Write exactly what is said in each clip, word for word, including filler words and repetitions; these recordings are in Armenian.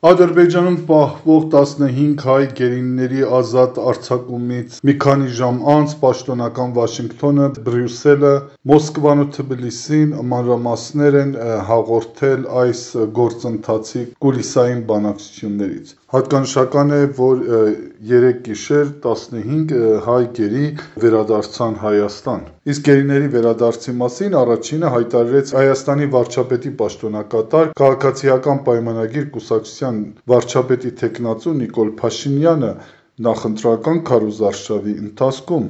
Ադրբեջանում պահվող տասնհինգ հայ գերիների ազատ արձակումից մի քանի ժամ անց պաշտոնական Վաշինգտոնը, Բրյուսելը, Մոսկվան ու Թբիլիսին մանրամասներ են հաղորդել այս գործընթացի կուլիսային բանակցություններից։ Հատկանշական է, որ երեկ գիշեր տասնհինգ հայ գերի վերադարձան Հայաստան։ Իսկ գերիների վերադարձի մասին առաջինը հայտարարեց Հայաստանի վարչապետի պաշտոնակատար, քաղաքացիական պայմանագիր կուսակցության վարչապետի թեկնածու Նիկոլ Փաշինյանը նախընտրական քարոզարշավի ընթացքում։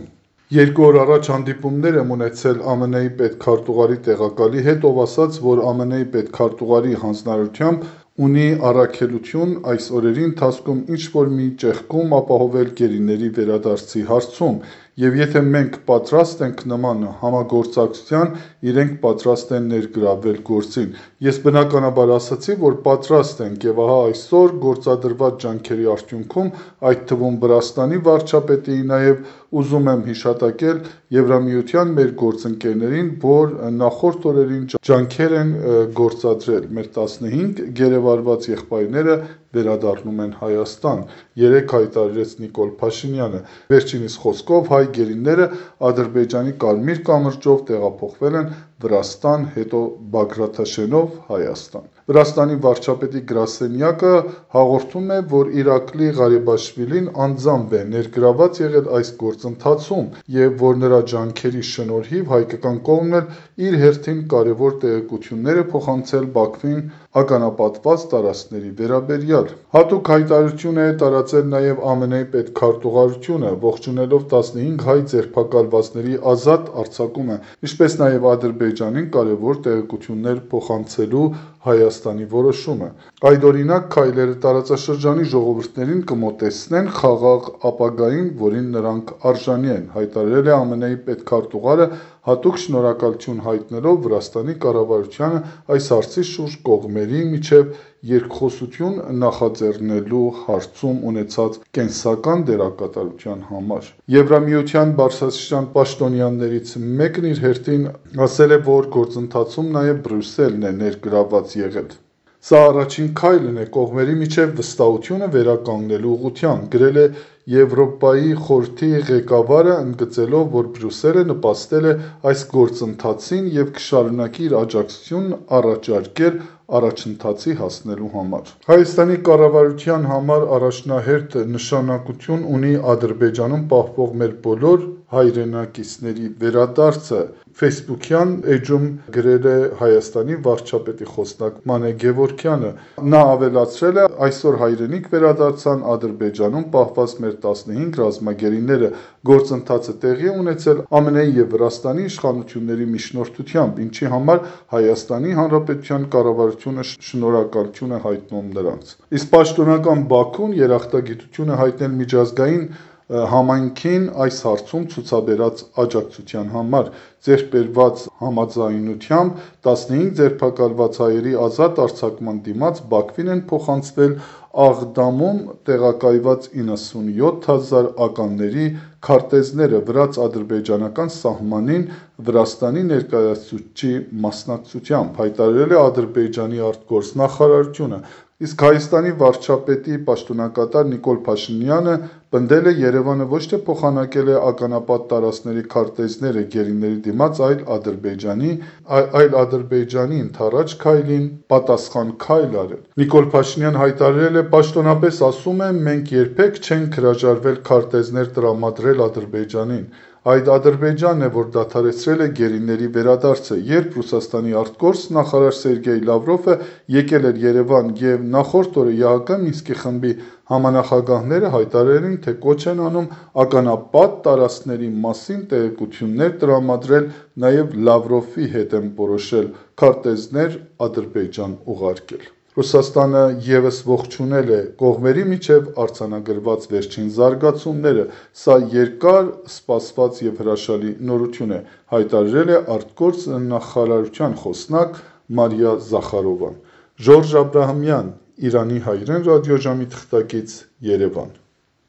Երկու օր առաջ հանդիպումներ եմ ունեցել ԱՄՆ-ի պետքարտուղարի տեղակալի հետ, ով ասաց, որ ԱՄՆ-ի պետքարտուղարի հանձնարարությամբ ունի առաքելություն այս օրերի ընթացքում ինչ-որ մի ճեղքում ապահովել գերիների վերադարձի հարցում, և եթե մենք պատրաստ ենք նման համագործակցության, իրենք պատրաստ են ներգրավվել գործին։ Ես բնականաբար ասացի, որ պատրաստ ենք, և ահա այսօր գործադրված ջանքերի արդյունքում, այդ թվում Վրաստանի վարչապետի, նաև ուզում եմ հիշատակել Եվրամիության մեր գործընկերներին, որ նախորդ օրերին ջանքեր են գործադրել, մեր տասնհինգ գերեվարված եղբայրները վերադառնում են Հայաստան, երեկ հայտարարեց Նիկոլ Փաշինյանը։ Վերջինիս խոսքով հայ գերիները Ադրբեջանի Կարմիր կամրջով տեղափոխվել են Վրաստան, հետո Բագրաթաշենով Հայաստան։ Վրաստանի վարչապետի գրասենյակը հաղորդում է, որ Իրակլի Ղարիբաշվիլին անձամբ է ներգրավված եղել այս գործընթացում և որ նրա ջանքերի շնորհիվ հայկական կողմն էլ իր հերթին կարևոր տեղեկություններ է փոխանցել Բաքվին ականապատված տարածքների վերաբերյալ։ Հատուկ հայտարարություն է տարածել նաև ԱՄՆ-ի պետքարտուղարությունը, ողջունելով տասնհինգ հայ ձերբակալվածների ազատ արձակումը, ինչպես նաև Ադրբեջանին կարևոր տեղեկություններ փոխանցելու Հայաստանի որոշումը։ Այդօրինակ քայլերը տարածաշրջանի ժողովուրդներին կմոտեցնեն խաղաղ ապագային, որին նրանք արժանի են, հայտարարել է ԱՄՆ-ի պետքարտուղարը, հատուկ շնորհակալություն հայտնելով Վրաստանի կառավարությանը այս հարցի շուրջ կողմերի միջև երկխոսություն նախաձեռնելու հարցում ունեցած կենսական դերակատարության համար։ Եվրամիության բարձրաստիճան պաշտոնյաներից մեկն իր հերթին ասել է, որ գործընթացում նաև Բրյուսելն է ներգրավված եղել։ Սա առաջին քայլն է կողմերի միջև վստահությունը վերականգնելու ուղղությամբ, գրել է Եվրոպայի խորհրդի ղեկավարը, ընդգծելով, որ Բրյուսելը նպաստել է այս գործընթացին և կշարունակի իր աջակցությունն առաջարկել առաջընթացի հասնելու համար։ Հայաստանի կառավարության համար առաջնահերթ նշանակություն ունի Ադրբեջանում պահվող մեր բոլոր հայրենակիցների վերադարձը, ֆեյսբուքյան էջում գրել է Հայաստանի վարչապետի խոսնակ Մանե Գևորգյանը։ Նա ավելացրել է. «Այսօր հայրենիք վերադարձան Ադրբեջանում պահված մեր տասնհինգ ռազմագերիները։ Գործընթացը տեղի է ունեցել ԱՄՆ-ի և Վրաստանի իշխանությունների միջնորդությամբ, ինչի համար Հայաստանի Հանրապետության կառավարությունը շնորհակալություն է հայտնում նրանց»։ Իսկ պաշտոնական Բաքուն երախտագիտություն է հայտնել միջազգային համայնքին այս հարցում ցուցաբերած աջակցության համար։ Ձեռք բերված համաձայնությամբ տասնհինգ ձերբակալված հայերի ազատ արձակման դիմաց Բաքվին են փոխանցվել Աղդամում տեղակայված իննսունյոթ հազար ականների քարտեզները վրաց-ադրբեջանական սահմանին Վրաստանի ներկայացուցչի մասնակցությամբ, հայտարարել է Ադրբեջանի արտգործնախարարությունը։ Իսկ Հայաստանի վարչապետի պաշտոնակատար Նիկոլ Փաշինյանը պնդել է Երևանը ոչ թե փոխանակել է ականապատ տարածքների քարտեզները գերիների դիմաց, այլ Ադրբեջանի, այլ Ադրբեջանի ընդառաջ քայլին պատասխան քայլ արել։ Նիկոլ Փաշինյանը հայտարարել է. «Պաշտոնապես ասում եմ, մենք երբեք չենք հրաժարվել քարտեզներ տրամադրել Ադրբեջանին։ Այդ Ադրբեջանն է, որ դադարեցրել է գերիների վերադարձը։ Երբ Ռուսաստանի ԱԳ նախարար Սերգեյ Լավրովը եկել էր Երևան և նախորդ օրը ԵԱՀԿ Մինսկի խմբի համանախագահները հայտարարել էին, թե կոչ են անում ականապատ տարածքների մասին տեղեկություններ տրամադրել, նաև Լավրովի հետ եմ որոշել քարտեզներ Ադրբեջան ուղարկել»։ Ռուսաստանը ևս ողջունել է կողմերի միջև արձանագրված վերջին զարգացումները։ Սա երկար սպասված և հրաշալի նորություն է, հայտարարել է արտգործնախարարության խոսնակ Մարիա Զախարովան։ Ժորժ Աբրահամյան, Իրանի հայրեն ռադիոժամի թղթակից, Երևան։